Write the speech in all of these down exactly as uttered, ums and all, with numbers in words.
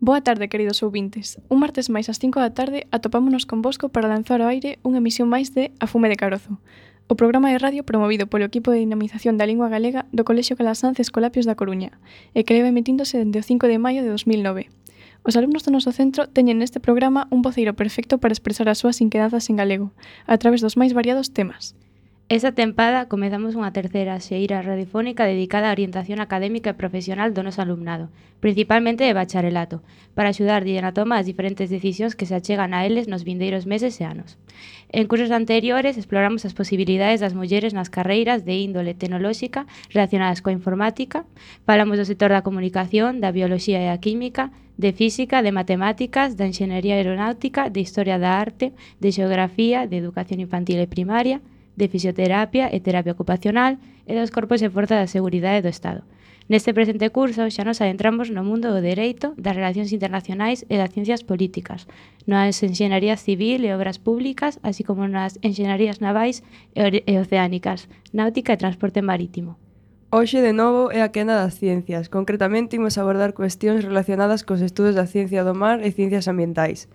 Boa tarde, queridos ouvintes. Un martes máis ás cinco da tarde atopámonos convosco para lanzar ao aire unha emisión máis de A Fume de Carozo, o programa de radio promovido polo equipo de dinamización da lingua galega do Colexio Calasanz Escolapios da Coruña e que leva emitíndose dende o cinco de maio de dos mil nove. Os alumnos do noso centro teñen neste programa un voceiro perfecto para expresar as súas inquedanzas en galego, a través dos máis variados temas. Esta tempada comezamos unha terceira xeira radiofónica dedicada á orientación académica e profesional do noso alumnado, principalmente de bacharelato, para axudar a tomar as diferentes decisións que se achegan a eles nos vindeiros meses e anos. En cursos anteriores exploramos as posibilidades das mulleres nas carreiras de índole tecnolóxica relacionadas coa informática, falamos do sector da comunicación, da bioloxía e a química, de física, de matemáticas, da enxeñería aeronáutica, de historia da arte, de xeografía, de educación infantil e primaria, de fisioterapia e terapia ocupacional e dos corpos e forzas da seguridade do Estado. Neste presente curso xa nos adentramos no mundo do dereito, das relacións internacionais e das ciencias políticas, nas enxeñarías civil e obras públicas, así como nas enxeñarías navais e oceánicas, náutica e transporte marítimo. Hoxe, de novo, é a quenda das ciencias. Concretamente, imos abordar cuestións relacionadas cos estudos da ciencia do mar e ciencias ambientais.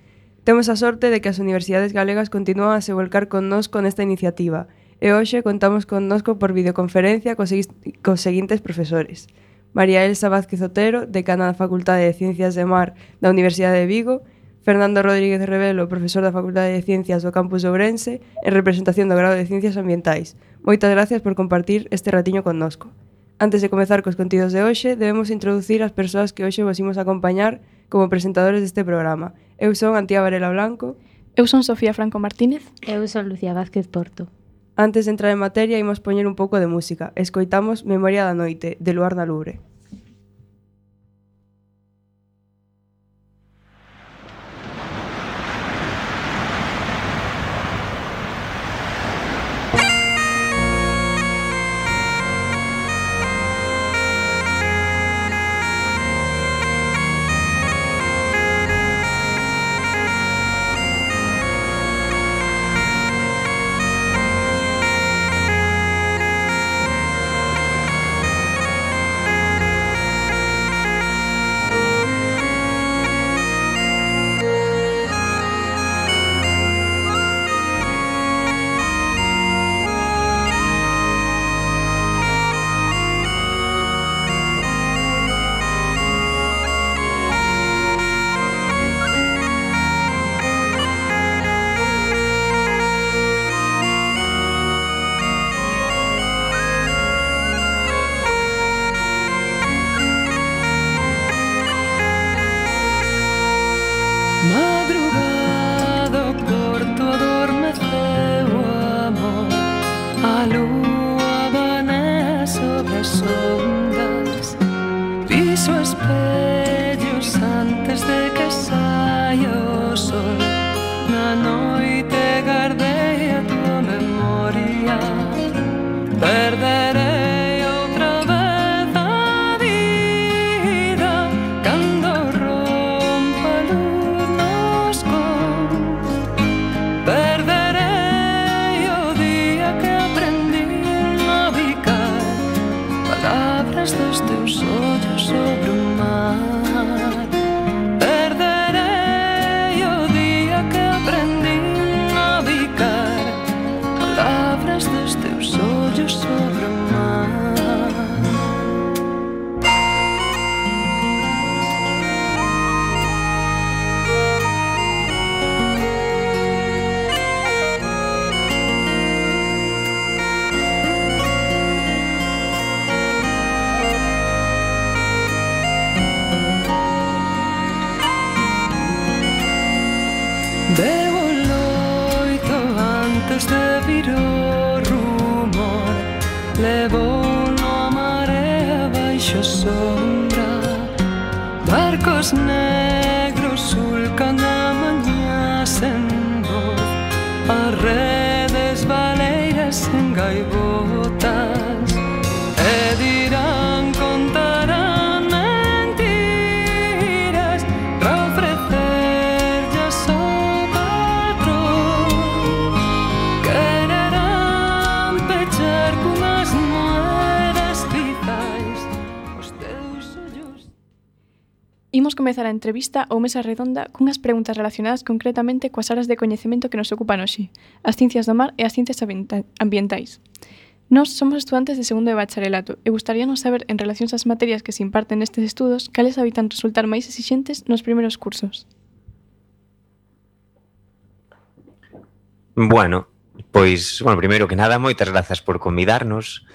Temos a sorte de que as universidades galegas continúan a se volcar connosco nesta iniciativa e hoxe contamos connosco por videoconferencia cos, cos seguintes profesores: María Elsa Vázquez Otero, decana da Facultade de Ciencias de Mar da Universidade de Vigo; Fernando Rodríguez Revelo, profesor da Facultade de Ciencias do Campus de Ourense en representación do grado de Ciencias Ambientais. Moitas gracias por compartir este ratiño connosco. Antes de comezar cos contidos de hoxe, debemos introducir as persoas que hoxe vos imos acompañar como presentadores deste programa. Eu son Antía Varela Blanco. Eu son Sofía Franco Martínez. Eu son Lucía Vázquez Porto. Antes de entrar en materia, imos poñer un pouco de música. Escoitamos Memoria da Noite, de Luar na Lubre. imos comezar a entrevista ou mesa redonda cunhas preguntas relacionadas concretamente coas áreas de coñecemento que nos ocupan hoxe, as ciencias do mar e as ciencias ambientais. Nós somos estudantes de segundo de bacharelato e gustaríanos saber, en relación ás materias que se imparten nestes estudos, cales habitan resultar máis exixentes nos primeiros cursos. Bueno, pois, bueno, primeiro que nada, moitas grazas por convidarnos.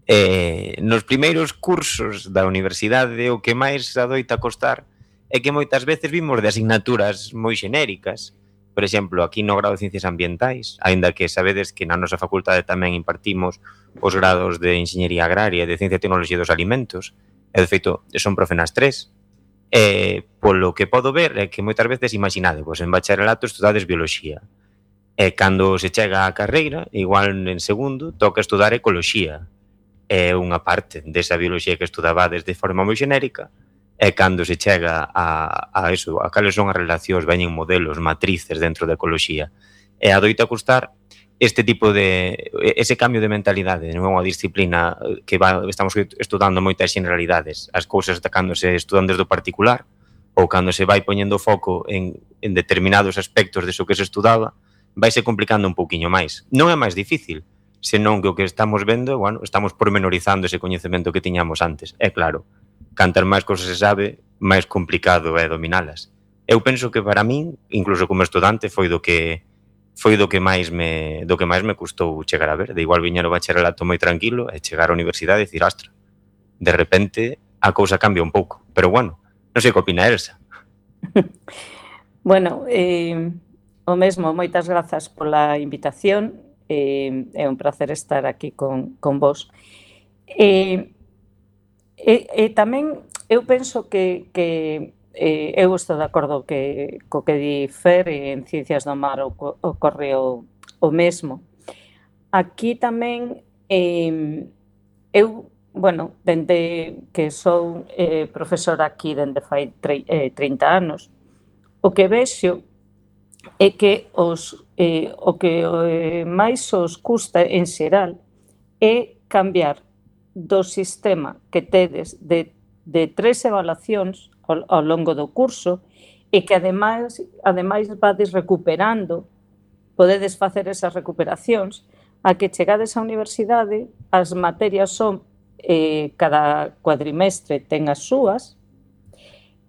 Eh, nos primeiros cursos da universidade o que máis adoita costar é que moitas veces vimos de asignaturas moi xenéricas. Por exemplo, aquí no grado de Ciencias Ambientais, aínda que sabedes que na nosa facultade tamén impartimos os grados de Enxeñería Agraria e de Ciencia e Tecnoloxía dos Alimentos, e de feito son profe nas tres. E polo que podo ver é que moitas veces imaginade, pois en bacharelato estudades bioloxía. E cando se chega á carreira, igual en segundo, toca estudar ecoloxía. É unha parte desa bioloxía que estudabades de forma moi xenérica, e cando se chega a, a eso, a cales son as relacións, veñen modelos, matrices dentro da ecoloxía, e adoita custar este tipo de, ese cambio de mentalidade, non é unha disciplina que va, estamos estudando moitas generalidades, as cousas cando se estudan desde o particular, ou cando se vai poñendo foco en, en determinados aspectos de eso que se estudaba, vaise complicando un pouquiño máis. Non é máis difícil, senón que o que estamos vendo, bueno, estamos pormenorizando ese coñecemento que tiñamos antes. É claro, cantar máis cosas se sabe, máis complicado é dominalas. Eu penso que para min, incluso como estudante, foi do que foi do que máis me do que máis me custou chegar a ver. De igual viña no bacharelato moi tranquilo e chegar á universidade e dicir, astra, de repente a cousa cambia un pouco. Pero bueno, non sei que opina Elsa. Bueno, eh, o mesmo, moitas grazas pola invitación. Eh, é un placer estar aquí con, con vos. E eh, eh, tamén eu penso que, que eh, eu estou de acordo que, co que di Fer, en Ciencias do Mar ocorre o, o mesmo. Aquí tamén eh, eu, bueno, dende que sou eh, profesora aquí dende fai tre, eh, trinta anos, o que vexo é que os, eh, o que eh, máis os custa en xeral é cambiar do sistema que tedes de, de tres evaluacións ao, ao longo do curso e que ademais, ademais vades recuperando, podedes facer esas recuperacións, a que chegades á universidade, as materias son eh, cada cuadrimestre ten as súas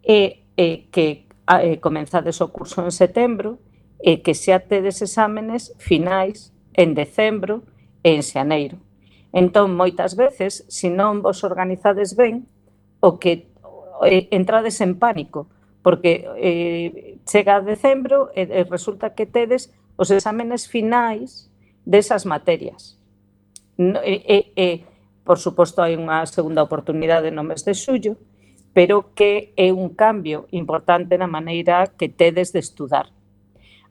e eh, que eh, comenzades o curso en setembro e que xa tedes exámenes finais en decembro e en xaneiro. Entón, moitas veces, se non vos organizades ben, o que eh, entrades en pánico, porque eh, chega a decembro e, e resulta que tedes os exámenes finais desas materias. No, e, e, e, por suposto, hai unha segunda oportunidade no mes de xullo, pero que é un cambio importante na maneira que tedes de estudar.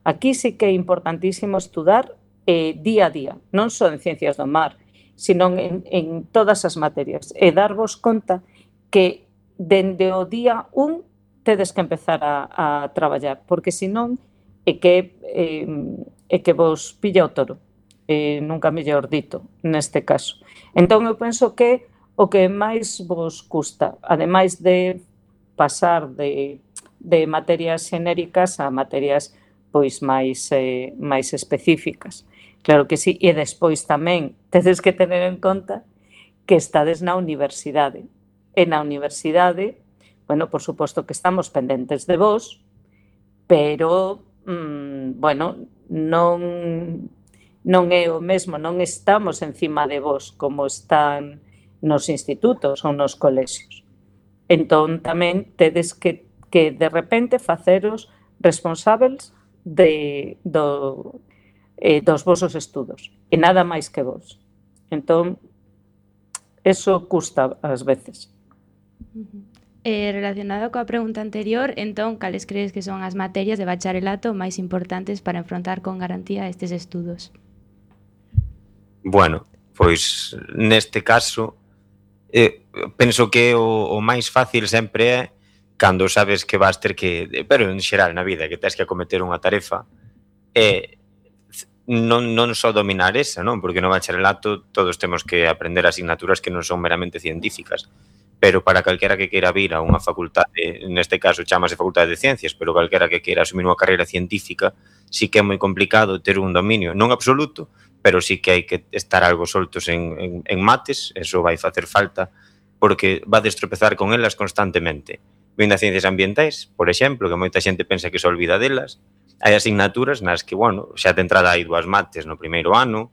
Aquí sí que é importantísimo estudar eh, día a día, non só en Ciencias do Mar, sino en, en todas as materias, e darvos conta que dende o día un tedes que empezar a, a traballar, porque senón é que, eh, é que vos pilla o toro, eh, nunca mellor dito, neste caso. Entón, eu penso que o que máis vos custa, ademais de pasar de, de materias xenéricas a materias pois máis, eh, máis específicas. Claro que sí, e despois tamén tedes que tener en conta que estades na universidade. E na universidade, bueno, por suposto que estamos pendentes de vos, pero, mmm, bueno, non, non é o mesmo, non estamos encima de vos como están nos institutos ou nos colexios. Entón, tamén tedes que, que de repente faceros responsables de, do, eh, dos vosos estudos, e nada máis que vos. Entón, eso custa ás veces. Eh, relacionado coa pregunta anterior, entón, cales crees que son as materias de bacharelato máis importantes para enfrontar con garantía estes estudos? Bueno, pois neste caso eh, penso que o, o máis fácil sempre é cando sabes que vas ter que, pero en xeral na vida, que tens que acometer unha tarefa, é non, non só dominar esa, non? Porque no bacharelato todos temos que aprender asignaturas que non son meramente científicas, pero para calquera que queira vir a unha facultade, neste caso chamase Facultade de Ciencias, pero calquera que queira asumir unha carreira científica, sí que é moi complicado ter un dominio, non absoluto, pero sí que hai que estar algo soltos en, en, en mates, eso vai facer falta, porque va a destropezar con elas constantemente. Vindo a ciencias ambientais, por exemplo, que moita xente pensa que se olvida delas, hai asignaturas nas que, bueno, xa de entrada hai dúas mates no primeiro ano,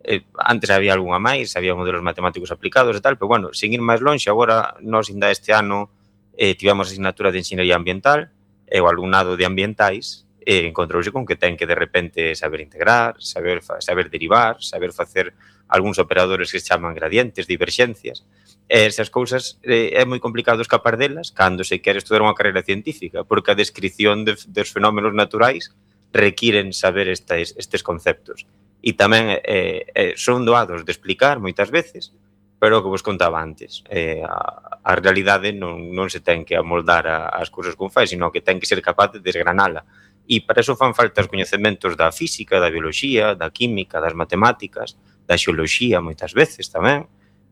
eh, antes había algunha máis, había modelos matemáticos aplicados e tal, pero, bueno, sin ir máis longe, agora, nós, ainda este ano, eh, tivemos asignatura de Enxeñería Ambiental, e o alumnado de ambientais, e encontrouse con que ten que de repente saber integrar, saber, saber derivar, saber facer algúns operadores que se chaman gradientes, diverxencias, e esas cousas eh, é moi complicado escapar delas cando se quere estudar unha carreira científica, porque a descripción de, dos fenómenos naturais requiren saber estes, estes conceptos. E tamén eh, eh, son doados de explicar moitas veces, pero o que vos contaba antes, eh, a, a realidade non, non se ten que amoldar a, as cousas con fai, sino que ten que ser capaz de desgranala. E para eso fan falta os coñecementos da física, da bioloxía, da química, das matemáticas, da xeoloxía moitas veces tamén,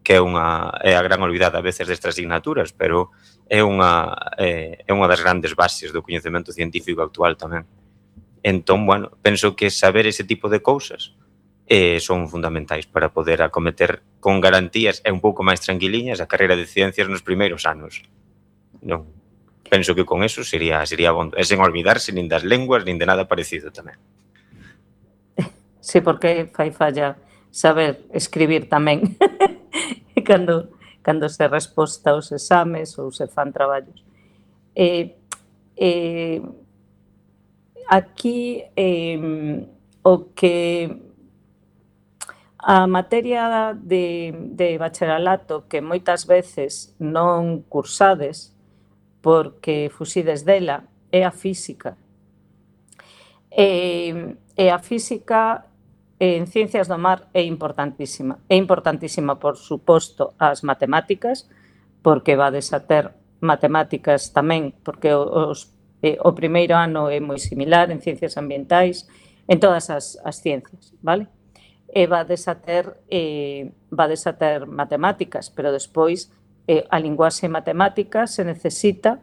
que é unha é a gran olvidada a veces destas asignaturas, pero é unha é, é unha das grandes bases do coñecemento científico actual tamén. Entón, bueno, penso que saber ese tipo de cousas eh, son fundamentais para poder acometer con garantías e un pouco máis tranquiliñas a carreira de ciencias nos primeiros anos. Non, penso que con eso sería sería bon, e sen olvidarse nin das lenguas nin de nada parecido tamén. Sí, porque fai falla saber escribir tamén cando, cando se resposta aos exames ou se fan traballos. Eh, eh, aquí eh, o que a materia de, de bacharelato que moitas veces non cursades porque fuxides dela é a física. E, e a física en Ciencias do Mar é importantísima. É importantísima, por suposto, as matemáticas, porque vades a ter matemáticas tamén, porque os, eh, o primeiro ano é moi similar en Ciencias Ambientais, en todas as, as ciencias, vale? E vades a ter, eh, vades a ter matemáticas, pero despois eh, a linguaxe matemática se necesita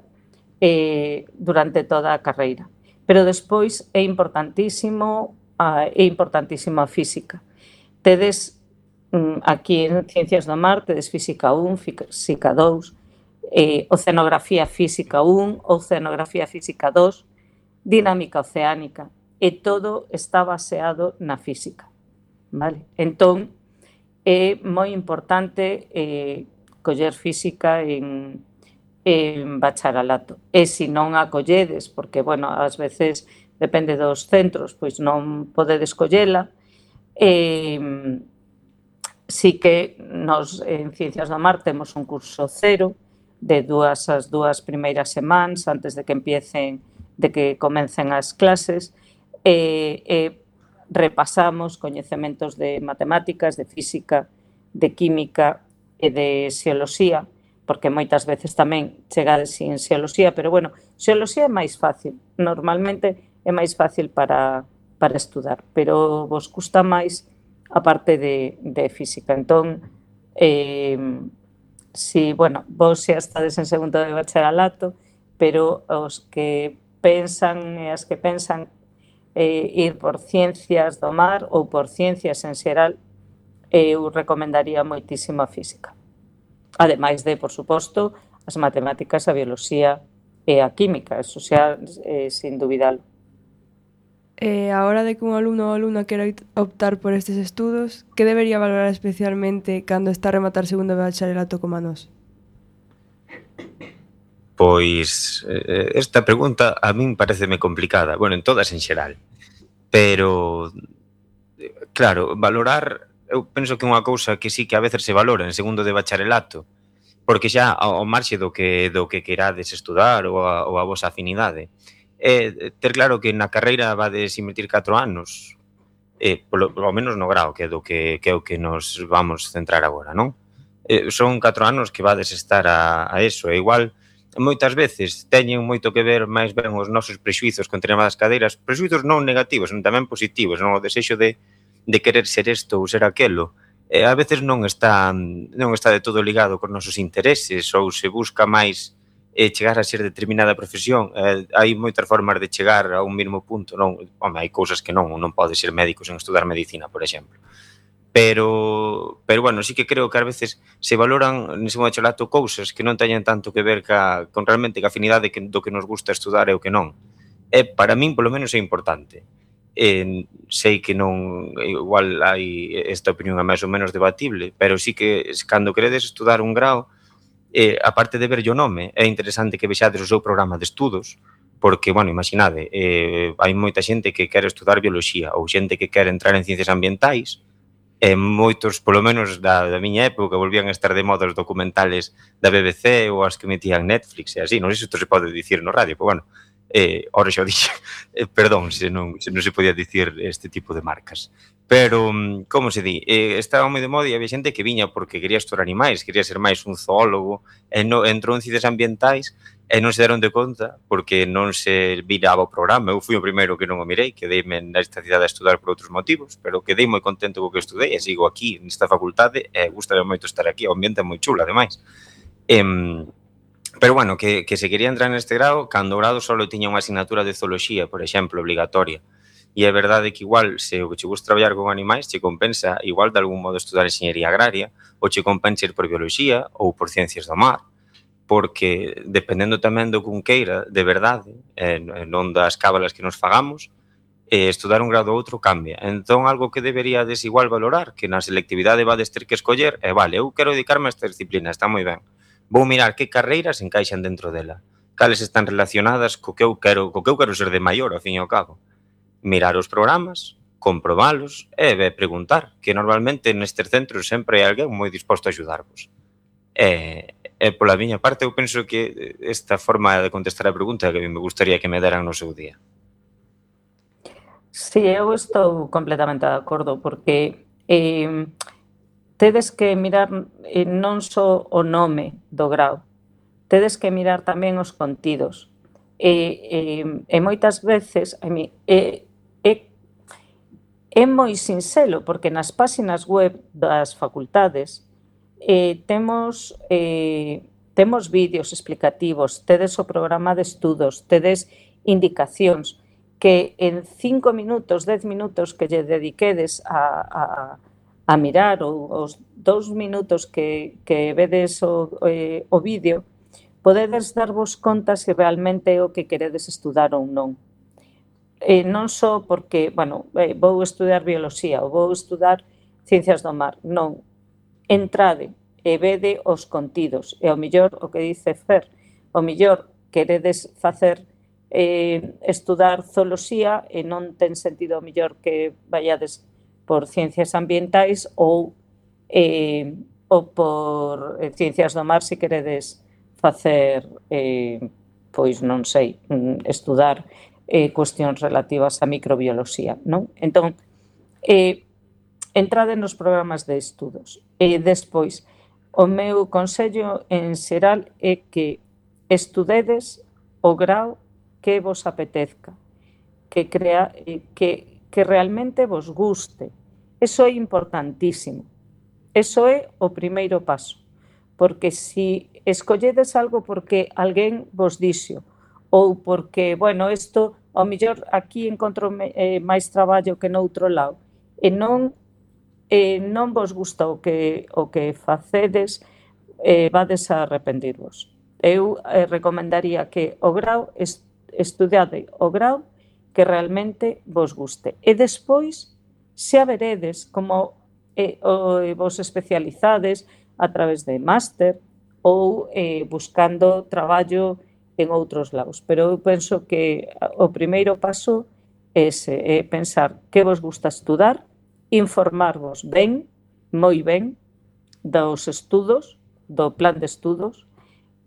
eh, durante toda a carreira. Pero despois é importantísimo a, é importantísima a física. Tedes mm, aquí en Ciencias do Mar, tedes Física un, Física dous, eh, Oceanografía Física un, Oceanografía Física dos, Dinámica Oceánica, e todo está baseado na física. Vale? Entón, é moi importante eh, coller física en, en bacharelato. E se non a colledes, porque, bueno, ás veces depende dos centros, pois non podedes collela, eh, sí que nos en Ciencias do Mar temos un curso cero de dúas as dúas primeiras semanas antes de que empiecen, de que comecen as clases, e eh, eh, repasamos coñecementos de matemáticas, de física, de química e de xeoloxía, porque moitas veces tamén chegades sin xeoloxía, pero, bueno, xeoloxía é máis fácil, normalmente é máis fácil para, para estudar, pero vos custa máis a parte de, de física. Entón, eh, si, bueno, vos xa estades en segundo de bacharelato, pero os que pensan e as que pensan eh, ir por Ciencias do Mar ou por Ciencias en xeral, eu recomendaría moitísimo a física. Ademais de, por suposto, as matemáticas, a bioloxía e a química, eso xa eh, sin dubidalo. E a hora de que un alumno ou alumna quera optar por estes estudos, que debería valorar especialmente cando está a rematar segundo de bacharelato como a nós? Pois eh, esta pregunta a min pareceme complicada, bueno, en todas en xeral, pero claro, valorar, eu penso que unha cousa que sí que a veces se valora en segundo de bacharelato, porque xa ao marxe do que do que querades estudar ou a, ou a vosa afinidade, é ter claro que na carreira vades invertir catro anos, eh, polo, polo menos no grao, que é do que, que é o que nos vamos centrar agora, non? Eh, son catro anos que vades estar a, a eso, e igual moitas veces teñen moito que ver máis ben os nosos prexuizos con determinadas cadeiras, prexuizos non negativos, non tamén positivos, non o desexo de, de querer ser isto ou ser aquelo, eh, a veces non está non está de todo ligado cos nosos intereses ou se busca máis eh, chegar a ser determinada profesión. Eh, hai moitas formas de chegar a un mesmo punto, non? Home, hai cousas que non, non pode ser médico sen estudar medicina, por exemplo. Pero, pero bueno, sí que creo que ás veces se valoran nese bachelato cousas que non teñen tanto que ver ca, con realmente ca afinidade que, do que nos gusta estudar e o que non. E para min, polo menos, é importante. Eh, sei que non, igual hai esta opinión é máis ou menos debatible, pero sí que cando queredes estudar un grao, eh, aparte de ver o nome, é interesante que vexades o seu programa de estudos, porque, bueno, imaginade, eh, hai moita xente que quere estudar bioloxía ou xente que quere entrar en ciencias ambientais, e moitos, polo menos da, da miña época, volvían a estar de moda os documentales da B B C ou as que metían Netflix e así, non sei se isto se pode dicir no radio, pero bueno, eh, ora xa o dixo, eh, perdón se non, se non se podía dicir este tipo de marcas. Pero, como se di, eh, estaba moi de moda e había xente que viña porque quería estudar animais, quería ser máis un zoólogo, e no, entrou en ciencias ambientais e non se deron de conta porque non se viraba o programa. Eu fui o primeiro que non o mirei, quedeime nesta cidade a estudar por outros motivos, pero quedei moi contento co que estudei e sigo aquí nesta facultade e gustame moito estar aquí, o ambiente é moi chulo, ademais. Eh, pero, bueno, que, que se quería entrar neste grado, cando o grado só tiña unha asignatura de zooloxía, por exemplo, obligatoria. E é verdade que igual, se o que che gusta traballar con animais, che compensa igual de algún modo estudar enxeñería agraria, ou che compensa ir por bioloxía ou por ciencias do mar, porque dependendo tamén do que un queira, de verdade, eh, non das cábalas que nos fagamos, eh, estudar un grado ou outro cambia. Entón, algo que deberíades igual valorar, que na selectividade vades ter que escoller, é, vale, eu quero dedicarme a esta disciplina, está moi ben. Vou mirar que carreiras encaixan dentro dela, cales están relacionadas co que eu quero, co que eu quero ser de maior, ao fin e ao cabo. Mirar os programas, comprobalos e eh, preguntar, que normalmente nestes centros sempre hai alguén moi disposto a axudarvos. E, e pola miña parte, eu penso que esta forma de contestar a pregunta que me gustaría que me deran no seu día. Sí, eu estou completamente de acordo, porque eh, tedes que mirar eh, non só o nome do grau, tedes que mirar tamén os contidos. E, e, e moitas veces, a mí, e, e, é moi sinxelo, porque nas páxinas web das facultades eh, temos, eh, temos vídeos explicativos, tedes o programa de estudos, tedes indicacións que en cinco minutos, dez minutos que lle dediquedes a, a, a mirar, ou os dous minutos que, que vedes o, eh, o vídeo, podedes darvos conta se realmente é o que queredes estudar ou non. Eh, non só porque, bueno, eh, vou estudar bioloxía ou vou estudar ciencias do mar, non. Entrade e vede os contidos. E ao mellor, o que dice Fer, ao mellor queredes facer eh, estudar zooloxía e non ten sentido ao mellor que vayades por ciencias ambientais ou, eh, ou por eh, ciencias do mar se queredes facer, eh, pois non sei, estudar eh, cuestións relativas á microbioloxía, non? Entón, eh, entrade nos programas de estudos. E despois, o meu consello en xeral é que estudedes o grau que vos apetezca, que, crea, que, que realmente vos guste. Eso é importantísimo. Eso é o primeiro paso. Porque se escolledes algo porque alguén vos dixo, ou porque, bueno, isto, ao mellor aquí encontro eh, máis traballo que noutro lado, e non, eh, non vos gusta o que, o que facedes, eh, vades a arrepentirvos. Eu eh, recomendaría que o grau, est, estudade o grau que realmente vos guste. E despois, xa veredes como eh, o, vos especializades a través de máster ou eh, buscando traballo en outros lados. Pero eu penso que o primeiro paso é ese, é pensar que vos gusta estudar, informarvos ben, moi ben, dos estudos, do plan de estudos,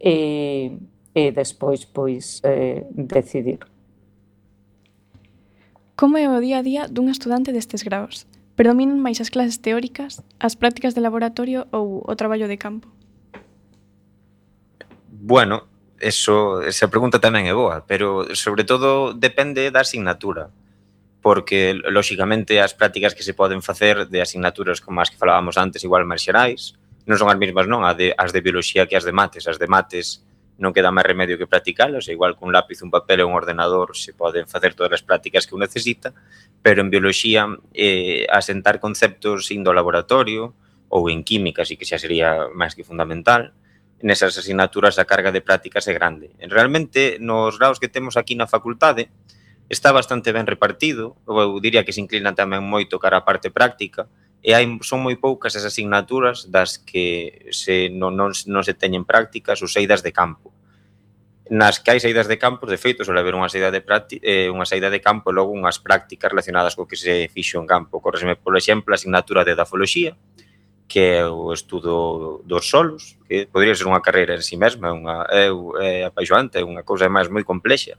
e, e despois, pois, eh, decidir. Como é o día a día dun estudante destes graos? Predominan máis as clases teóricas, as prácticas de laboratorio ou o traballo de campo? Bueno, eso, esa pregunta tamén é boa, pero sobre todo depende da asignatura. porque, lóxicamente, as prácticas que se poden facer de asignaturas como as que falábamos antes, igual máis xerais, non son as mesmas, non, as de, as de bioloxía que as de mates. As de mates non queda máis remedio que practicalas, igual con un lápiz, un papel e un ordenador se poden facer todas as prácticas que un necesita, pero en bioloxía, eh, asentar conceptos indo ao laboratorio, ou en química, sí que xa sería máis que fundamental, nesas asignaturas a carga de prácticas é grande. Realmente, nos graus que temos aquí na facultade, está bastante ben repartido, eu diría que se inclina tamén moito cara á parte práctica, e hai, son moi poucas as asignaturas das que se, non, non, non se teñen prácticas ou saídas de campo. Nas que hai saídas de campo, de feito, suele haber unha saída de, práctica, eh, unha saída de campo e logo unhas prácticas relacionadas co que se fixo en campo. Corresme, por exemplo, a asignatura de edafoloxía, que é o estudo dos solos, que podría ser unha carreira en si mesma, unha, é, é apaixoante, é unha cousa máis moi complexa.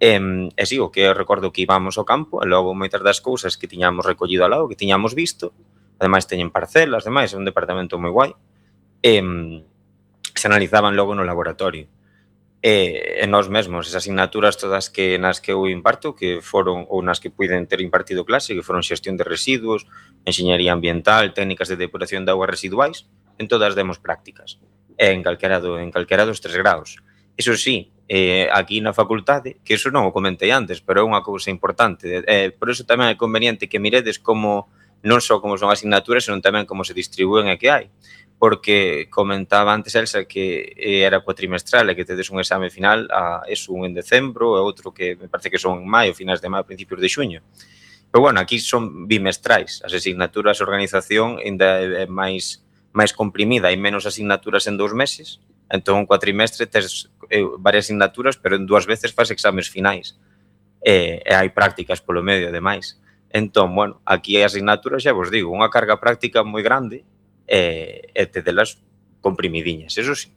E, e si, o que eu recordo que íbamos ao campo, e logo moitas das cousas que tiñamos recollido ao lado, que tiñamos visto, ademais teñen parcelas, ademais é un departamento moi guai, e se analizaban logo no laboratorio. E, e nós mesmos, esas asignaturas todas que nas que eu imparto, que foron, ou nas que puiden ter impartido clase, que foron xestión de residuos, enxeñería ambiental, técnicas de depuración de augas residuais, en todas demos prácticas, e en calquera, do, en calquera dos tres graus. Iso sí, eh, aquí na facultade, que iso non o comentei antes, pero é unha cousa importante, eh, por iso tamén é conveniente que miredes como, non só como son asignaturas, senón tamén como se distribúen e que hai, porque comentaba antes Elsa que era cuatrimestral e que tedes un exame final a eso, un en decembro e outro que me parece que son en maio, finais de maio, principios de xuño. Pero bueno, aquí son bimestrais, as asignaturas de organización ainda é máis, máis comprimida, hai menos asignaturas en dous meses, entón un cuatrimestre tes eh, varias asignaturas, pero en dúas veces faz exames finais. E, e hai prácticas polo medio, ademais. Entón, bueno, aquí hai asignaturas, xa vos digo, unha carga práctica moi grande e, e te delas comprimidiñas, eso sí.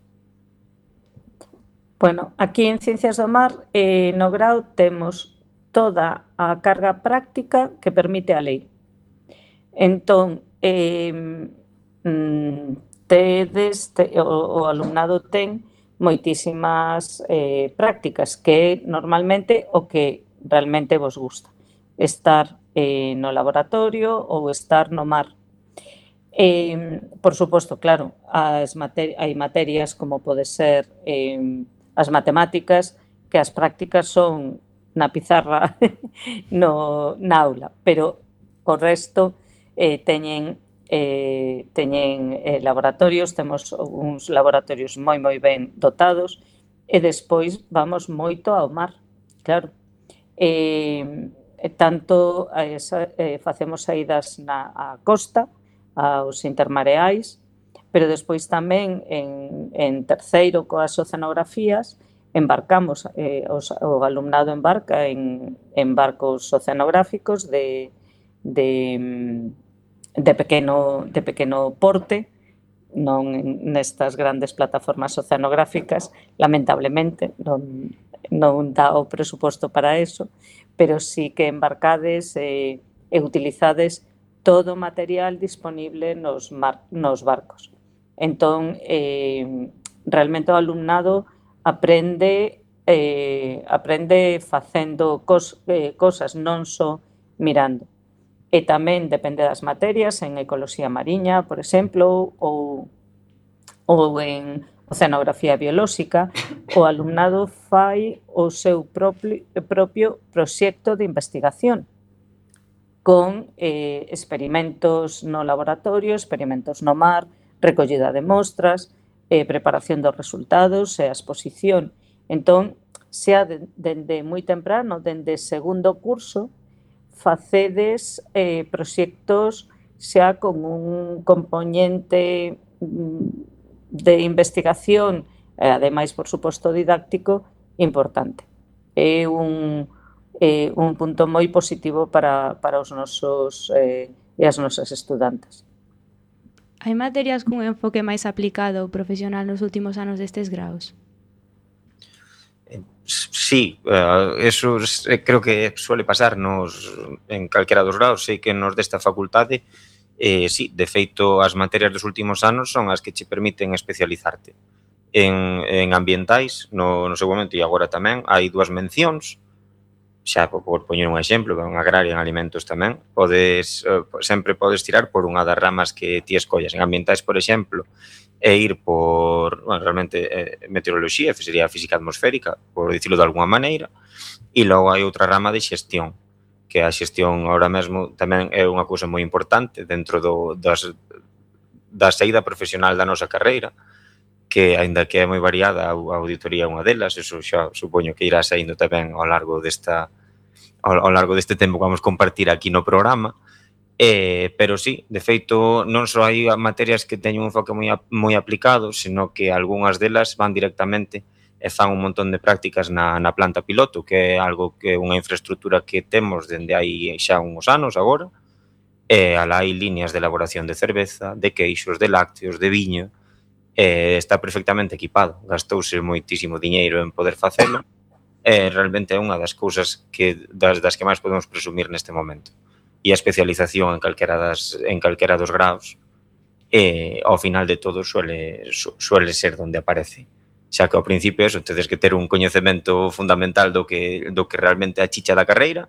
Bueno, aquí en Ciencias do Mar, eh, no grau, temos toda a carga práctica que permite a lei. Entón, eh, mm, tedes, te, o, o alumnado ten moitísimas eh, prácticas, que normalmente o que realmente vos gusta. Estar eh, no laboratorio ou estar no mar. Eh, por suposto, claro, as materi hai materias como pode ser eh, as matemáticas, que as prácticas son na pizarra no, na aula, pero o resto eh, teñen Eh, teñen eh, laboratorios, temos uns laboratorios moi moi ben dotados e despois vamos moito ao mar, claro. Eh, tanto eh, eh, facemos saídas na a costa, aos intermareais, pero despois tamén en, en terceiro coas oceanografías embarcamos, eh, os, o alumnado embarca en, en barcos oceanográficos de, de de pequeno, de pequeno porte, non nestas grandes plataformas oceanográficas, lamentablemente, non, non dá o presuposto para eso, pero sí que embarcades e, e utilizades todo o material disponible nos, mar, nos barcos. Entón, eh, realmente o alumnado aprende, eh, aprende facendo cos, eh, cosas, non só mirando. E tamén depende das materias, en ecoloxía mariña, por exemplo, ou, ou en oceanografía biolóxica, o alumnado fai o seu propio, propio proxecto de investigación con eh, experimentos no laboratorio, experimentos no mar, recollida de mostras, eh, preparación dos resultados e a exposición. Entón, xa dende moi temprano, dende segundo curso, facedes eh, proxectos xa con un componente de investigación e, ademais, por suposto, didáctico importante. É un, é un punto moi positivo para, para os nosos eh, e as nosas estudantes. Hai materias cun enfoque máis aplicado ou profesional nos últimos anos destes graus? Sí, uh, eso eh, creo que suele pasar nos, en calquera dos graus, sei que nos desta facultade, eh, sí, de feito, as materias dos últimos anos son as que che permiten especializarte. En, en ambientais, no, no seu momento e agora tamén, hai dúas mencións, xa por, por poñer un exemplo, en agraria, en alimentos tamén, podes, uh, sempre podes tirar por unha das ramas que ti escollas. En ambientais, por exemplo, e ir por, bueno, realmente, eh, meteoroloxía, sería física atmosférica, por dicirlo de alguma maneira, e logo hai outra rama de xestión, que a xestión ahora mesmo tamén é unha cousa moi importante dentro do, das, da saída profesional da nosa carreira, que, aínda que é moi variada, a auditoría é unha delas, eso xa supoño que irá saindo tamén ao largo desta ao, ao largo deste tempo que vamos compartir aquí no programa, eh, pero sí, de feito, non só hai materias que teñen un enfoque moi, moi aplicado, sino que algunhas delas van directamente e fan un montón de prácticas na, na planta piloto, que é algo que é unha infraestructura que temos dende hai xa uns anos agora, e alá hai líneas de elaboración de cerveza, de queixos, de lácteos, de viño, e está perfectamente equipado. Gastouse moitísimo diñeiro en poder facelo, e realmente é unha das cousas que, das, das que máis podemos presumir neste momento. E a especialización en calquera, das, en calquera dos graus, e ao final de todo suele, su, suele ser donde aparece. Xa que ao principio eso, tedes que ter un coñecemento fundamental do que, do que realmente é a chicha da carreira,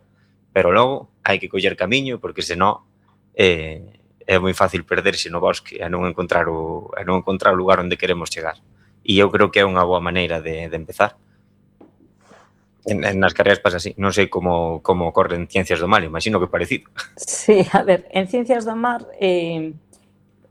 pero logo hai que coller camiño, porque senón eh, é moi fácil perderse no bosque e non encontrar o, e non encontrar o lugar onde queremos chegar. E eu creo que é unha boa maneira de, de empezar. En, en nas carreiras pasa así. Non sei como, como ocorre en Ciencias do Mar, imagino que parecido. Sí, a ver, en Ciencias do Mar... Eh...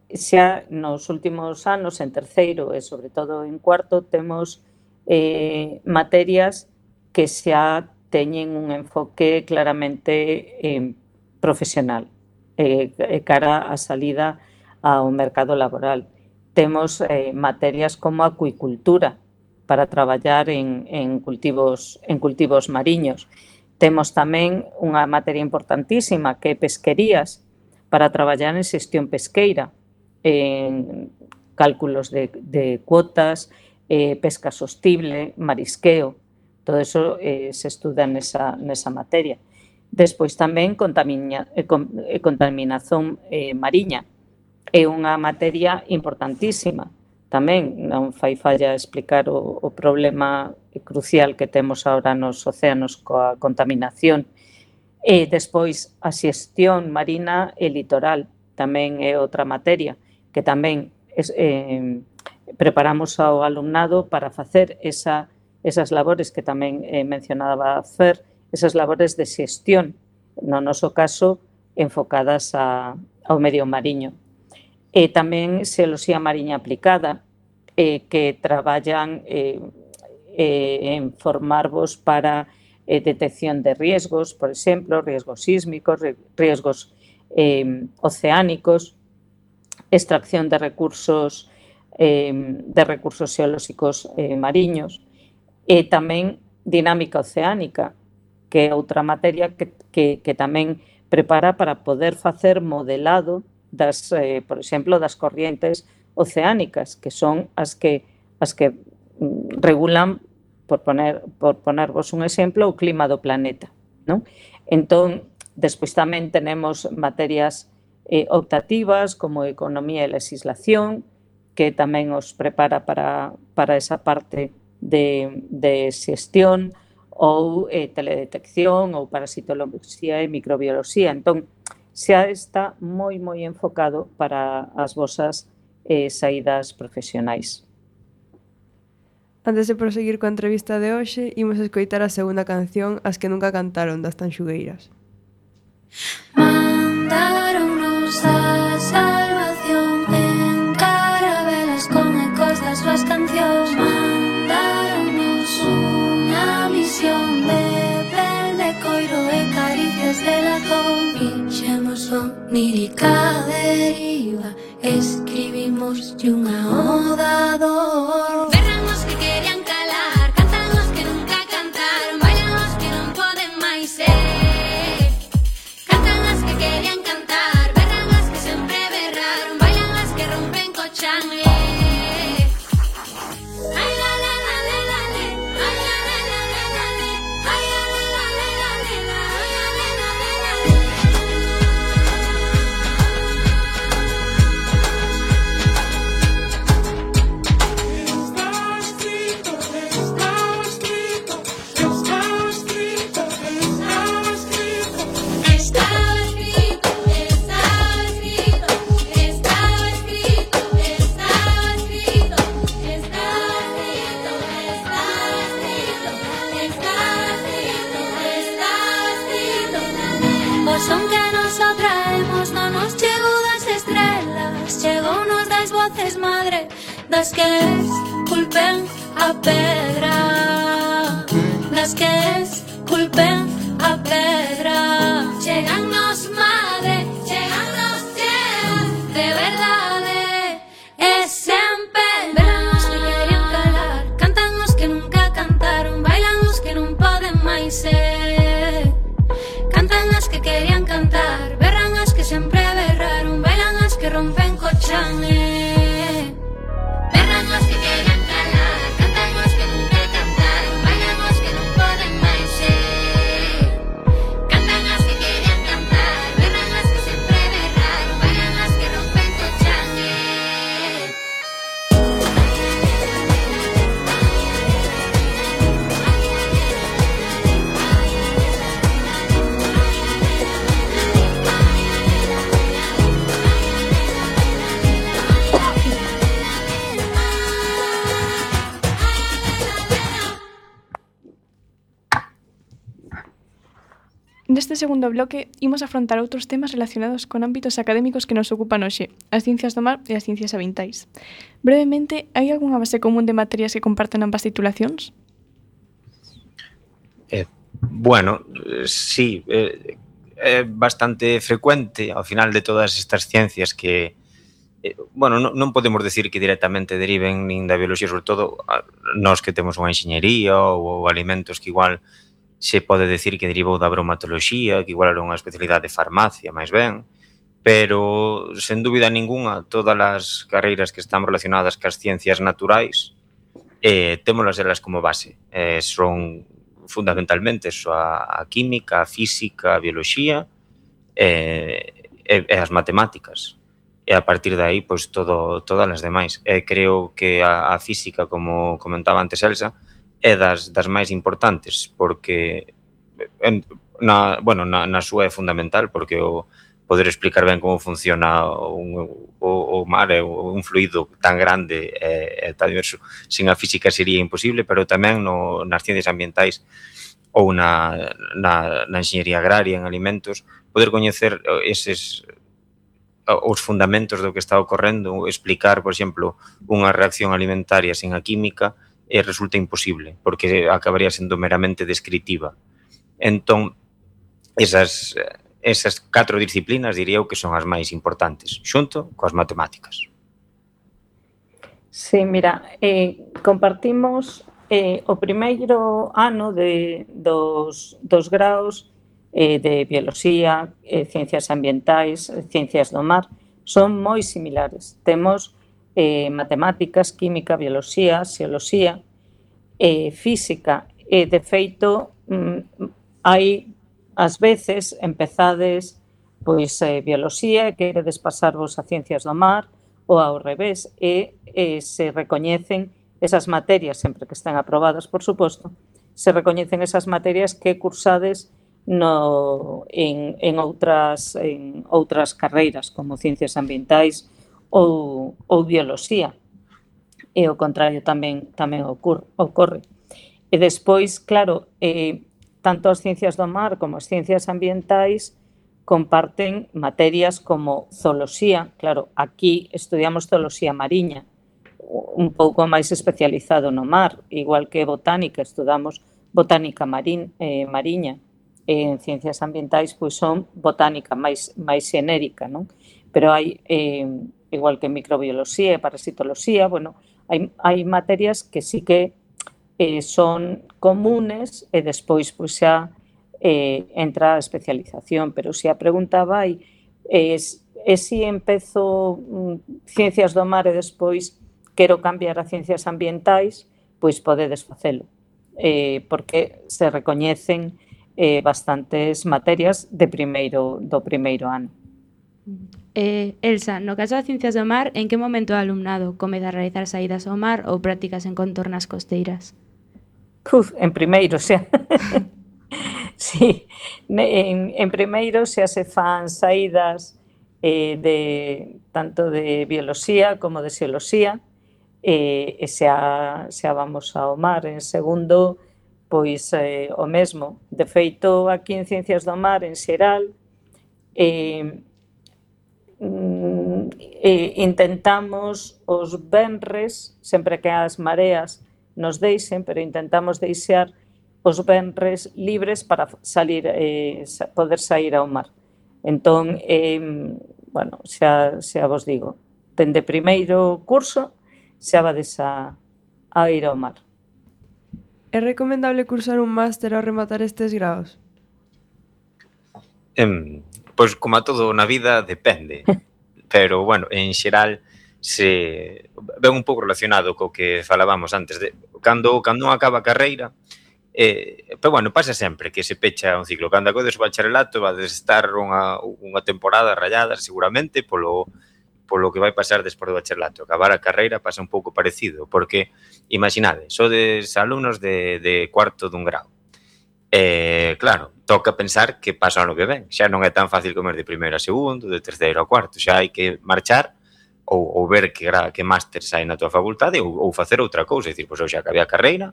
xa nos últimos anos, en terceiro e sobre todo en cuarto, temos eh, materias que xa teñen un enfoque claramente eh, profesional, eh, cara a salida ao mercado laboral. Temos eh, materias como acuicultura para traballar en, en, cultivos, en cultivos mariños. Temos tamén unha materia importantísima que é pesquerías para traballar en xestión pesqueira, en cálculos de, de cuotas, eh, pesca sostible, marisqueo, todo eso eh, se estuda nesa, nesa materia. Despois tamén contamina, eh, contaminación eh, mariña, é unha materia importantísima. Tamén non fai falla explicar o, o problema crucial que temos ahora nos océanos coa contaminación. E despois a xestión marina e litoral tamén é outra materia que tamén es, eh, preparamos ao alumnado para facer esa, esas labores que tamén eh, mencionaba Fer, esas labores de xestión, no noso caso, enfocadas a, ao medio mariño. E tamén xeoloxía mariña aplicada, eh, que traballan eh, eh, en formarvos para eh, detección de riesgos, por exemplo, riesgos sísmicos, riesgos eh, oceánicos, extracción de recursos eh, de recursos xeolóxicos eh, mariños e tamén dinámica oceánica, que é outra materia que, que, que tamén prepara para poder facer modelado das, eh, por exemplo, das corrientes oceánicas, que son as que as que regulan, por poner por ponervos un exemplo, o clima do planeta, non? Entón, despois tamén tenemos materias Eh, optativas como economía e legislación, que tamén os prepara para, para esa parte de, de xestión, ou eh, teledetección, ou parasitoloxía e microbioloxía. Entón, xa está moi, moi enfocado para as vosas eh, saídas profesionais. Antes de proseguir coa entrevista de hoxe, imos escoitar a segunda canción, As que nunca cantaron, das Tanxugueiras. Mandaronnos a salvación en carabelas con ecos das súas cancións. Mandaronnos unha misión de pel de coiro e caricias de latón. Fixemos onírica deriva, escribimos unha oda dor. Berran os que querían calar, cantan os que nunca cantaron, bailan os que non poden máis ser. Querían cantar, berran as que sempre berraron, bailan as que rompen co chan. Ai la la la la la le, ai la la la la la le, ai la la la la la le, ai la la la la la le. Estás triste. veces madre das que esculpen a pedra, das que esculpen a pedra. Chegannos madre, chegannos cheas de verdade e sempre verán os que querían calar, cantan os que nunca cantaron, bailan os que non poden máis ser, cantan as que querían cantar, berran as que sempre berraron, bailan as que rompen co chan, eh. Berran os que querían calar, cantan os que nunca cantaron, bailan os que non poden máis ser, cantan as que querían cantar, berran as que sempre berraron, bailan as que rompen co chan, eh. Neste segundo bloque, imos afrontar outros temas relacionados con ámbitos académicos que nos ocupan hoxe, as ciencias do mar e as ciencias ambientais. Brevemente, hai algunha base común de materias que comparten ambas titulacións? Eh, bueno, eh, sí, eh, é bastante frecuente ao final de todas estas ciencias que, eh, bueno, non, non podemos decir que directamente deriven nin da bioloxía, sobre todo a, nós que temos unha enxeñería ou, ou alimentos que igual se pode decir que derivou da bromatoloxía, que igual era unha especialidade de farmacia, máis ben, pero, sen dúbida ninguna, todas as carreiras que están relacionadas cas ciencias naturais eh, témolas elas como base. Eh, son fundamentalmente eso, a, a química, a física, a bioloxía eh, e, e as matemáticas. E a partir de aí, pois, todo, todas as demais. E creo que a, a física, como comentaba antes Elsa, é das, das máis importantes, porque en, na, bueno, na, na súa é fundamental, porque o poder explicar ben como funciona un, o, o mar é un fluido tan grande e, e tan diverso, sin a física sería imposible, pero tamén no, nas ciencias ambientais ou na, na, na enxeñería agraria, en alimentos, poder coñecer eses os fundamentos do que está ocorrendo, explicar, por exemplo, unha reacción alimentaria sin a química, e resulta imposible, porque acabaría sendo meramente descritiva. Entón, esas, esas catro disciplinas diría eu que son as máis importantes, xunto coas matemáticas. Sí, mira, eh, compartimos eh, o primeiro ano de, dos, dos graos eh, de bioloxía, eh, ciencias ambientais, ciencias do mar, son moi similares. Temos eh, matemáticas, química, bioloxía, xeoloxía, eh, física, e de feito mm, hai ás veces empezades pois eh, bioloxía e queredes pasarvos a ciencias do mar ou ao revés e, e se recoñecen esas materias, sempre que estén aprobadas, por suposto, se recoñecen esas materias que cursades no, en, en, outras, en outras carreiras como ciencias ambientais ou, ou bioloxía. E o contrario tamén tamén ocorre. ocorre. E despois, claro, eh, tanto as ciencias do mar como as ciencias ambientais comparten materias como zooloxía. Claro, aquí estudiamos zooloxía mariña, un pouco máis especializado no mar, igual que botánica, estudamos botánica marín, eh, mariña. E en ciencias ambientais, pois son botánica máis, máis xenérica, non? Pero hai, eh, igual que microbioloxía e parasitoloxía, bueno, hai, hai materias que sí que eh, son comunes e despois, pois xa, eh, entra a especialización. Pero se a pregunta vai, é eh, si empezo mm, ciencias do mar e despois quero cambiar a ciencias ambientais, pois podedes facelo, eh, porque se recoñecen eh, bastantes materias de primeiro, do primeiro ano. Eh, Elsa, no caso das ciencias do mar, en que momento o alumnado comeza a realizar saídas ao mar ou prácticas en contornas costeiras? Uf, en primeiro, xa. Sí, en, en primeiro xa se fan saídas eh, de tanto de bioloxía como de xeoloxía, e, e xa, xa vamos ao mar. En segundo, pois eh, o mesmo. De feito, aquí en Ciencias do Mar, en xeral, eh, eh, intentamos os venres, sempre que as mareas nos deixen, pero intentamos deixar os venres libres para salir, eh, poder sair ao mar. Entón, eh, bueno, xa, xa vos digo, dende primeiro curso xa vades a, a ir ao mar. É recomendable cursar un máster ao rematar estes graos? Eh, pois, como a todo na vida, depende. Pero, bueno, en xeral, se ven un pouco relacionado co que falábamos antes. De, cando, cando non acaba a carreira, eh, pero, bueno, pasa sempre que se pecha un ciclo. Cando acodes o bacharelato, vades estar unha, unha temporada rayada, seguramente, polo, polo que vai pasar despois do bacharelato. Acabar a carreira pasa un pouco parecido, porque, imaginade, sodes alumnos de, de cuarto dun grau. Eh, claro, toca pensar que pasa ano que ven. Xa non é tan fácil comer de primeiro a segundo, de terceiro a cuarto. Xa hai que marchar ou, ou ver que, que máster sai na tua facultade ou, ou facer outra cousa. É dicir, pois eu xa acabei a carreira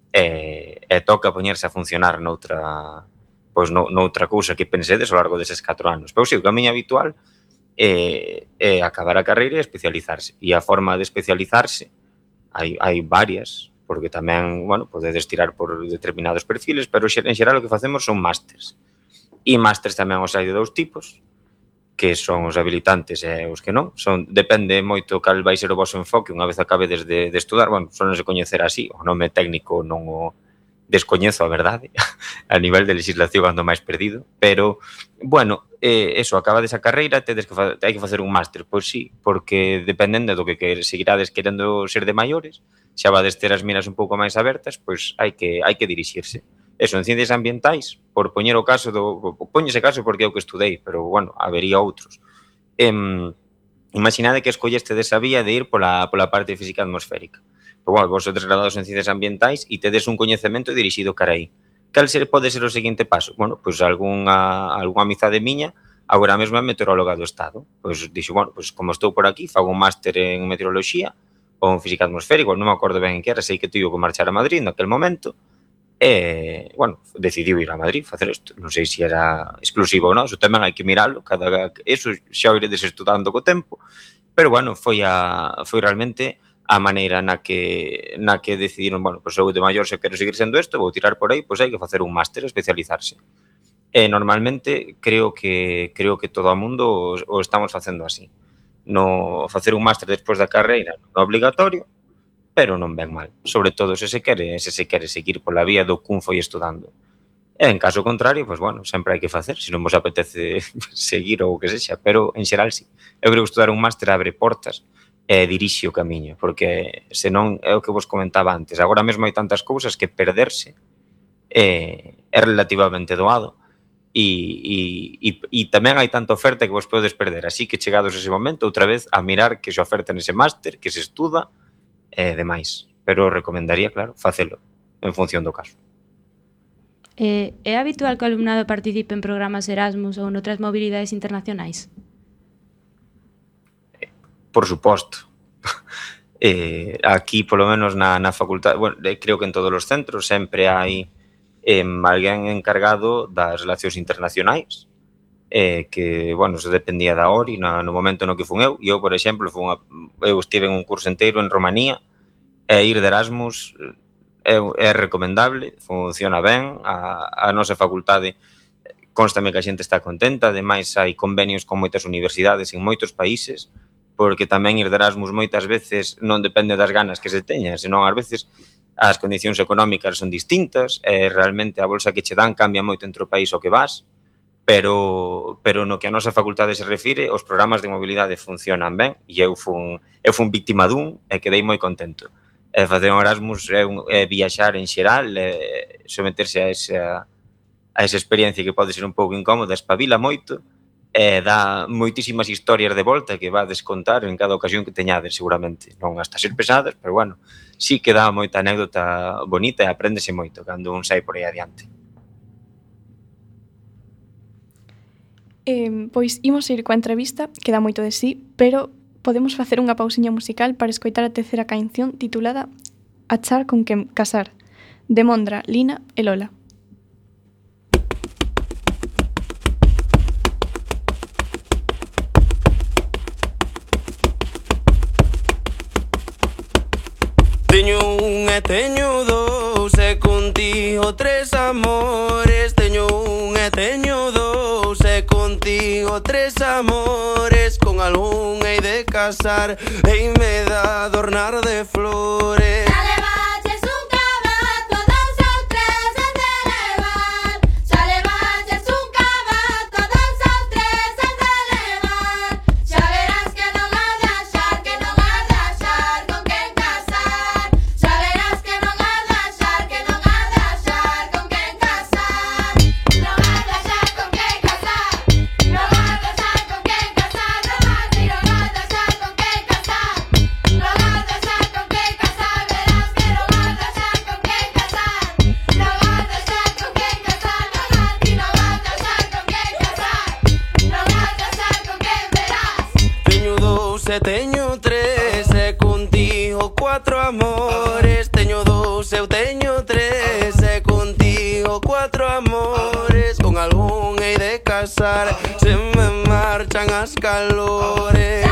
e, e toca poñerse a funcionar noutra, pois no, noutra cousa que pensedes ao largo deses catro anos. Pero sí, o camiño habitual é, é acabar a carreira e especializarse. E a forma de especializarse hai, hai varias, porque tamén, bueno, podedes tirar por determinados perfiles, pero en xeral o que facemos son másters. E másters tamén os hai de dous tipos, que son os habilitantes e os que non. Son, depende moito cal vai ser o vosso enfoque unha vez acabe desde de estudar. Bueno, son se coñecer así, o nome técnico non o descoñezo, a verdade, a nivel de legislación ando máis perdido, pero, bueno, eh, eso, acaba desa carreira, tedes que fa- hai que facer un máster, pois sí, porque dependendo do que, que seguirades querendo ser de maiores, xa vades ter as miras un pouco máis abertas, pois hai que hai que dirixirse. Eso, en ciencias ambientais, por poñer o caso do... Poño ese caso porque é o que estudei, pero, bueno, habería outros. Eh, imaginade que escolleste desa vía de ir pola, pola parte de física atmosférica. Pero, bueno, vos sodes graduados en ciencias ambientais e tedes un coñecemento dirixido cara aí. Cal ser, pode ser o seguinte paso? Bueno, pois algunha, algunha amizade miña agora mesmo é meteoróloga do Estado. Pois dixo, bueno, pois como estou por aquí, fago un máster en meteoroloxía ou en física atmosférica, non me acordo ben en que era, sei que tivo que marchar a Madrid naquel momento, e, bueno, decidiu ir a Madrid facer isto. Non sei se era exclusivo ou non, eso tamén hai que miralo, cada, eso xa o iredes estudando co tempo, pero, bueno, foi, a, foi realmente a maneira na que, na que decidiron, bueno, pois eu de maior se quero seguir sendo isto, vou tirar por aí, pois hai que facer un máster, especializarse. E normalmente creo que creo que todo o mundo o, o estamos facendo así. No facer un máster despois da carreira non é obligatorio, pero non ven mal, sobre todo se se quere, se se quere seguir pola vía do cun foi estudando. E en caso contrario, pois bueno, sempre hai que facer, se non vos apetece seguir ou o que sexa, pero en xeral sí. Eu creo que estudar un máster abre portas e dirixe o camiño, porque senón é o que vos comentaba antes, agora mesmo hai tantas cousas que perderse é, é relativamente doado. E, e, e tamén hai tanta oferta que vos podedes perder, así que chegados ese momento outra vez a mirar que se oferta nese máster, que se estuda e demais, pero recomendaría, claro, facelo en función do caso. Eh, é habitual que o alumnado participe en programas Erasmus ou noutras mobilidades internacionais? Por suposto. eh, aquí, polo menos na, na facultade, bueno, creo que en todos os centros sempre hai eh, alguén encargado das relacións internacionais, eh, que, bueno, se dependía da O R I no, no momento no que fun eu, e eu, por exemplo, fun a, eu estive en un curso inteiro en Romanía, e ir de Erasmus é, é recomendable, funciona ben, a, a nosa facultade constame que a xente está contenta, ademais hai convenios con moitas universidades en moitos países, porque tamén ir de Erasmus moitas veces non depende das ganas que se teña, senón ás veces as condicións económicas son distintas, e realmente a bolsa que che dan cambia moito entre o país ao que vas, pero, pero no que a nosa facultade se refire, os programas de mobilidade funcionan ben, e eu fun, eu fun víctima dun e quedei moi contento. E facer un Erasmus é, un, é viaxar en xeral, é someterse a esa, a esa experiencia que pode ser un pouco incómoda, espabila moito, e dá moitísimas historias de volta que vades contar en cada ocasión que teñades, seguramente. Non hasta ser pesadas, pero, bueno, sí que dá moita anécdota bonita e apréndese moito cando un sai por aí adiante. Eh, pois imos ir coa entrevista, que dá moito de sí, pero podemos facer unha pausiña musical para escoitar a terceira canción titulada Achar con quen casar, de Mondra, Lina e Lola. e teño dous e contigo tres amores. Teño un e teño dous e contigo tres amores. Con algún hei de casar, hei me de adornar de flores. E teño tres e contigo cuatro amores. Teño dous, eu teño tres e contigo cuatro amores. Con algún hei de casar, se me marchan as calores.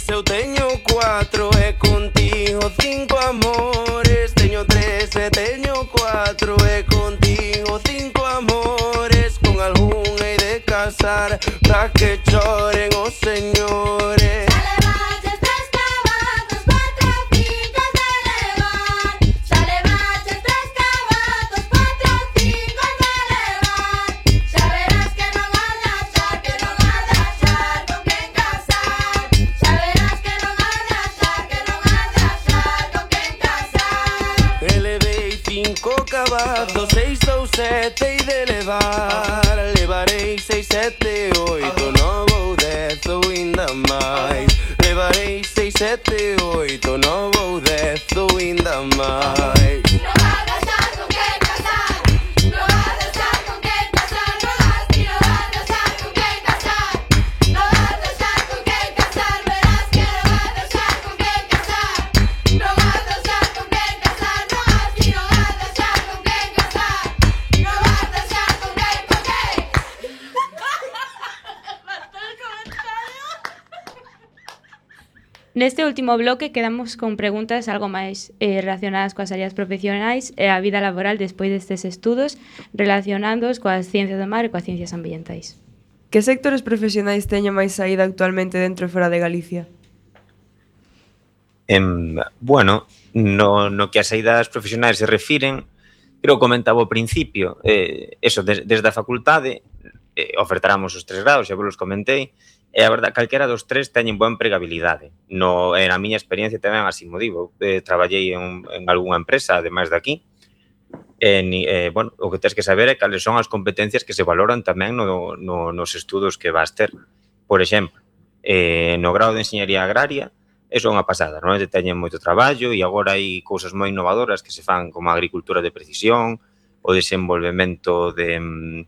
Eu teño cuatro e contigo cinco amores. Teño tres e teño cuatro e contigo cinco amores. Con algún hei de casar, pra que choren os señores. Cabazos, seis ou sete hei de levar. Levarei seis, sete, oito, nove, dez ou inda máis. Levarei seis, sete, oito, nove, dez ou inda máis. Neste último bloque quedamos con preguntas algo máis eh, relacionadas coas áreas profesionais e a vida laboral despois destes estudos, relacionándoos coas ciencias do mar e coas ciencias ambientais. Que sectores profesionais teñen máis saída actualmente dentro e fora de Galicia? Em, bueno, no, no que as saídas profesionais se refiren, creo que comentaba ao principio, eh, eso, des, desde a facultade eh, ofertáramos os tres grados, xa vos comentei, e a verdade, calquera dos tres teñen boa empregabilidade. No, en a miña experiencia tamén así mo digo. Eh, traballei en, en algunha empresa, ademais de aquí. E, eh, bueno, o que tens que saber é cales son as competencias que se valoran tamén no, no, nos estudos que vas ter. Por exemplo, eh, no grado de Enxeñería Agraria, eso é unha pasada, non? Teñen moito traballo e agora hai cousas moi innovadoras que se fan como a agricultura de precisión, o desenvolvemento de...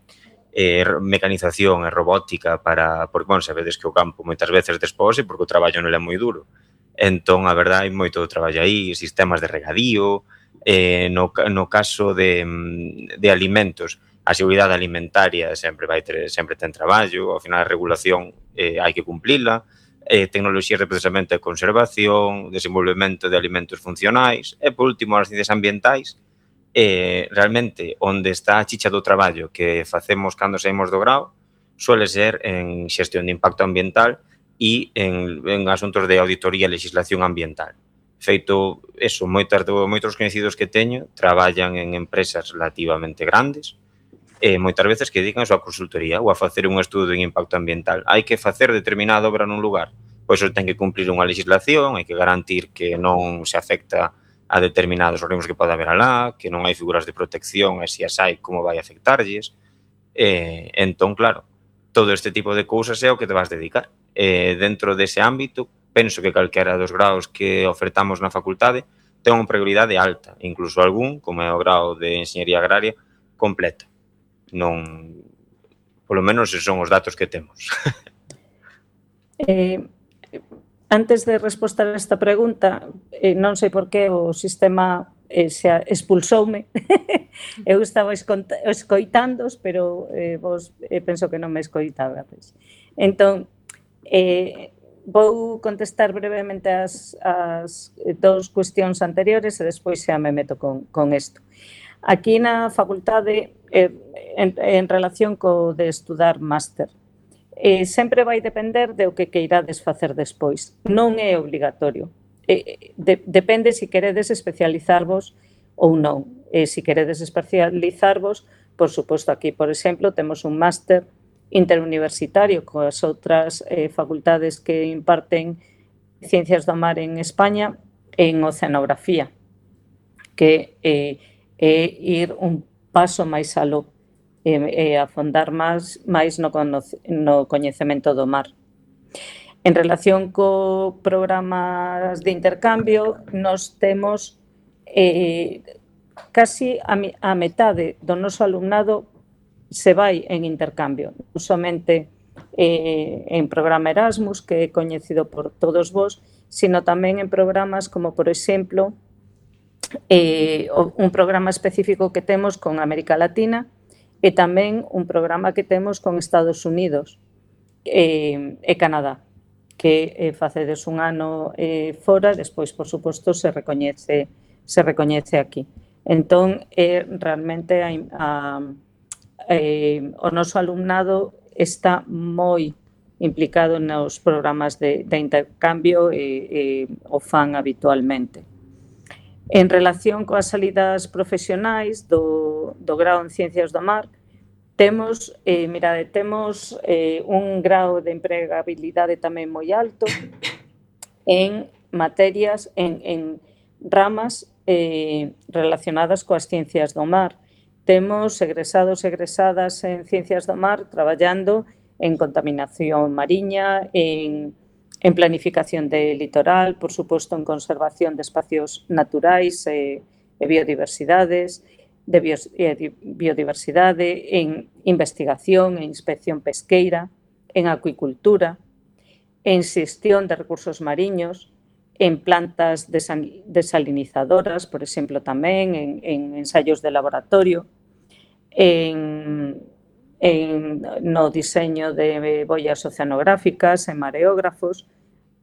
Eh, mecanización e robótica para, porque, bueno, sabedes que o campo moitas veces despose porque o traballo non é moi duro. Entón, a verdade, hai moito traballo aí, sistemas de regadío, eh, no, no caso de, de alimentos, a seguridade alimentaria sempre vai ter, sempre ten traballo, ao final a regulación eh, hai que cumplila, eh, tecnoloxías de procesamento e conservación, desenvolvemento de alimentos funcionais, e, por último, as ciencias ambientais, eh, realmente onde está a chicha do traballo que facemos cando saímos do grao suele ser en xestión de impacto ambiental e en, en asuntos de auditoría e legislación ambiental. Feito eso, moitos, moitos conhecidos que teño traballan en empresas relativamente grandes e moitas veces que dedican a súa consultoría ou a facer un estudo en impacto ambiental. Hai que facer determinada obra nun lugar, pois eso ten que cumplir unha legislación, hai que garantir que non se afecta a determinados organismos que pode haber alá, que non hai figuras de protección e se as hai, como vai afectarlles. E, entón, claro, todo este tipo de cousas é o que te vas dedicar. E dentro dese ámbito, penso que calquera dos graus que ofertamos na facultade ten unha prioridade alta, incluso algún, como é o grau de Enxeñería Agraria, completa. Non, polo menos son os datos que temos. Eh, antes de responder a esta pregunta, eh, non sei por que o sistema eh, se expulsoume. Eu estaba escoitándos, pero eh, vos eh, penso que non me escoitabades. Entón, eh, vou contestar brevemente as, as dous cuestións anteriores e despois xa me meto con, con isto. Aquí na facultade, eh, en, en relación co de estudar máster, eh, sempre vai depender de o que queirades facer despois. Non é obligatorio. Eh, de, depende se queredes especializarvos ou non. Eh, se queredes especializarvos, por suposto, aquí, por exemplo, temos un máster interuniversitario coas outras eh, facultades que imparten Ciencias do Mar en España en oceanografía, que eh, é ir un paso máis aló e eh, afondar máis, máis no, no coñecemento do mar. En relación co programas de intercambio, nos temos eh, casi a, a metade do noso alumnado se vai en intercambio, non somente eh, en programa Erasmus, que é coñecido por todos vos, sino tamén en programas como, por exemplo, eh, un programa específico que temos con América Latina e tamén un programa que temos con Estados Unidos eh, e Canadá, que eh, facedes un ano eh, fora, despois, por suposto, se recoñece, se recoñece aquí. Entón, eh, realmente a, a Eh, o noso alumnado está moi implicado nos programas de, de intercambio e, e o fan habitualmente. En relación coas salidas profesionais do, do grao en Ciencias do Mar, temos, eh, mirade, temos eh, un grao de empregabilidade tamén moi alto en materias, en, en ramas eh, relacionadas coas ciencias do mar. Temos egresados e egresadas en Ciencias do Mar traballando en contaminación mariña, en, en planificación de litoral, por suposto en conservación de espacios naturais e, e biodiversidades, de bio, e biodiversidade, en investigación e inspección pesqueira, en acuicultura, en xestión de recursos mariños, en plantas desalinizadoras, por exemplo, tamén en, en ensaios de laboratorio, En, en, no diseño de boias oceanográficas, en mareógrafos,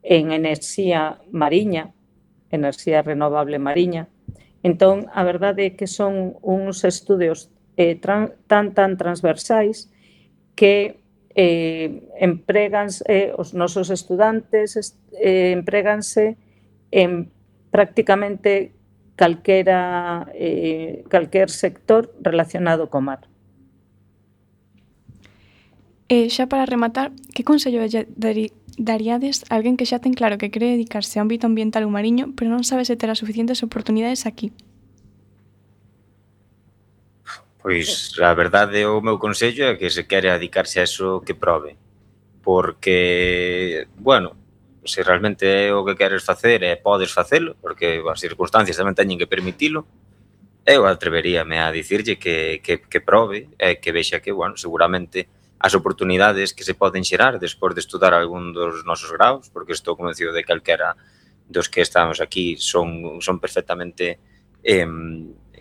en enerxía mariña, enerxía renovable mariña. Entón, a verdade é que son uns estudios eh, tran, tan tan transversais que eh, empreganse, eh, os nosos estudantes eh, empreganse en prácticamente calquera, eh, calquer sector relacionado co mar. E xa para rematar, que consello daríades a alguén que xa ten claro que quere dedicarse ao ámbito ambiental ou mariño, pero non sabe se terá suficientes oportunidades aquí? Pois, a verdade, o meu consello é que se quere dedicarse a eso, que probe. Porque, bueno, se realmente é o que queres facer e podes facelo, porque as circunstancias tamén teñen que permitilo, eu atreveríame a dicirlle que, que, que probe e que vexa que, bueno, seguramente as oportunidades que se poden xerar despois de estudar algún dos nosos graus, porque estou convencido de que calquera dos que estamos aquí son, son perfectamente eh,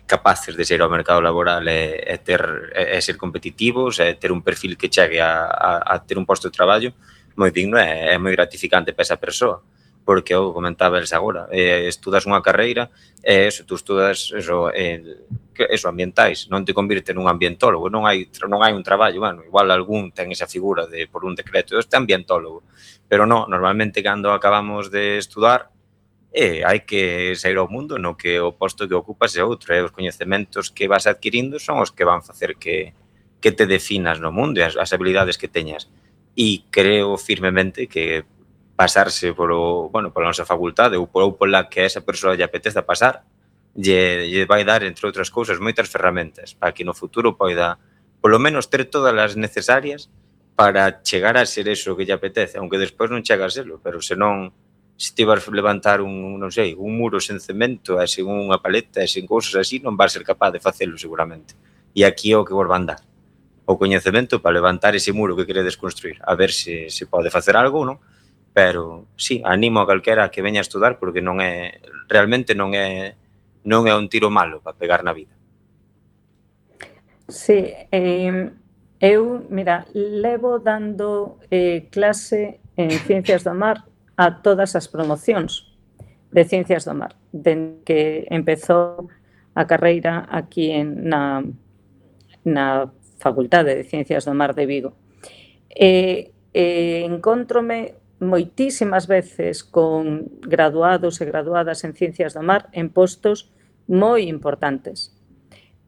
capaces de ser ao mercado laboral e, e, ter, e, e ser competitivos, e ter un perfil que chegue a, a, a ter un posto de traballo moi digno e é moi gratificante para esa persoa, porque eu comentaba eles agora, eh, estudas unha carreira e eso, tú estudas eso, eh, eso ambientais, non te convirte nun ambientólogo, non hai non hai un traballo, bueno, igual algún ten esa figura de por un decreto, este ambientólogo, pero non, normalmente cando acabamos de estudar eh, hai que sair ao mundo no que o posto que ocupas é outro, e os coñecementos que vas adquirindo son os que van facer que, que te definas no mundo e as, as habilidades que teñas. E creo firmemente que pasarse polo, bueno, pola nosa facultade ou pola que a esa persoa lle apeteza pasar lle, lle vai dar, entre outras cousas, moitas ferramentas para que no futuro poida polo menos ter todas as necesarias para chegar a ser eso que lle apetece, aunque despois non chega a serlo, pero senón, se ti vas levantar un, non sei, un muro sen cemento e sen unha paleta e sen cousas así, non vas ser capaz de facelo seguramente. E aquí é o que vos van dar, o coñecemento para levantar ese muro que queredes construir, a ver se, se pode facer algo, non? Pero, sí, animo a calquera que veña a estudar porque non é, realmente non é, non é un tiro malo para pegar na vida. Sí, eh, eu, mira, levo dando eh, clase en Ciencias do Mar a todas as promocións de Ciencias do Mar, dende que empezou a carreira aquí en, na, na Facultade de Ciencias do Mar de Vigo. E eh, encontrome moitísimas veces con graduados e graduadas en Ciencias do Mar en postos moi importantes.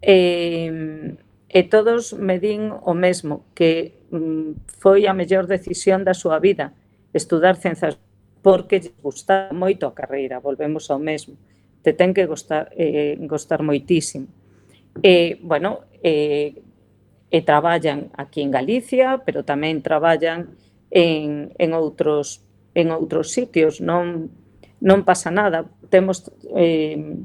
E, e todos me din o mesmo, que mm, foi a mellor decisión da súa vida estudar Ciencias, porque lle gusta moito a carreira, volvemos ao mesmo. Te ten que gustar, eh, gustar moitísimo. E, bueno, e, e traballan aquí en Galicia, pero tamén traballan en, en, outros, en outros sitios. Non, non pasa nada. Temos eh,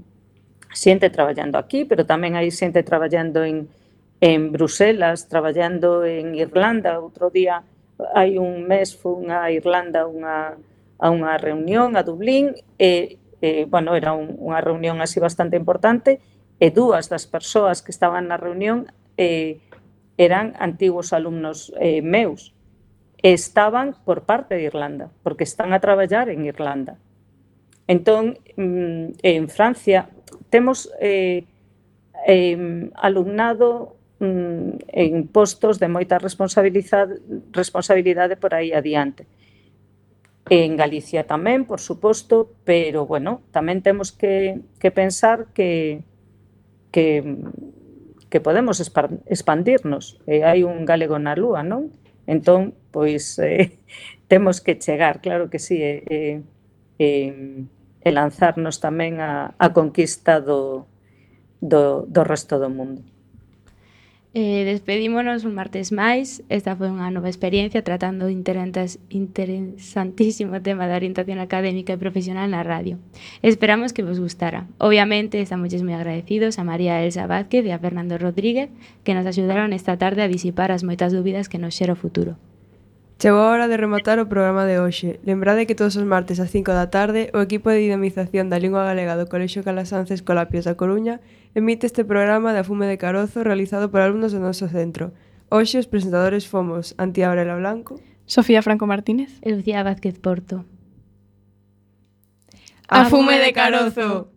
xente traballando aquí, pero tamén hai xente traballando en, en Bruselas, traballando en Irlanda. Outro día, hai un mes, fun a Irlanda unha, a unha reunión a Dublín, e, e bueno, era un, unha reunión así bastante importante, e dúas das persoas que estaban na reunión eh, eran antigos alumnos eh, meus. Estaban por parte de Irlanda, porque están a traballar en Irlanda. Entón, en Francia, temos eh, eh, alumnado mm, en postos de moita responsabilidade, responsabilidade por aí adiante. En Galicia tamén, por suposto, pero, bueno, tamén temos que, que pensar que, que, que podemos expandirnos. E hai un galego na lúa, non? Entón, pois, eh, temos que chegar, claro que sí, e, e, e, e lanzarnos tamén a, a conquista do, do, do resto do mundo. Eh, despedímonos un martes máis. Esta foi unha nova experiencia tratando o interesantísimo tema da orientación académica e profesional na radio. Esperamos que vos gustara. Obviamente, estamos moi agradecidos a María Elsa Vázquez e a Fernando Rodríguez, que nos axudaron esta tarde a disipar as moitas dúbidas que nos xera o futuro. Chegou a hora de rematar o programa de hoxe. Lembrade que todos os martes ás cinco da tarde o equipo de dinamización da lingua galega do Colexio Calasanz Escolapios da Coruña emite este programa de Afume de Carozo realizado por alumnos do noso centro. Hoxe os presentadores fomos Antía Aurela Blanco, Sofía Franco Martínez e Lucía Vázquez Porto. Afume de Carozo!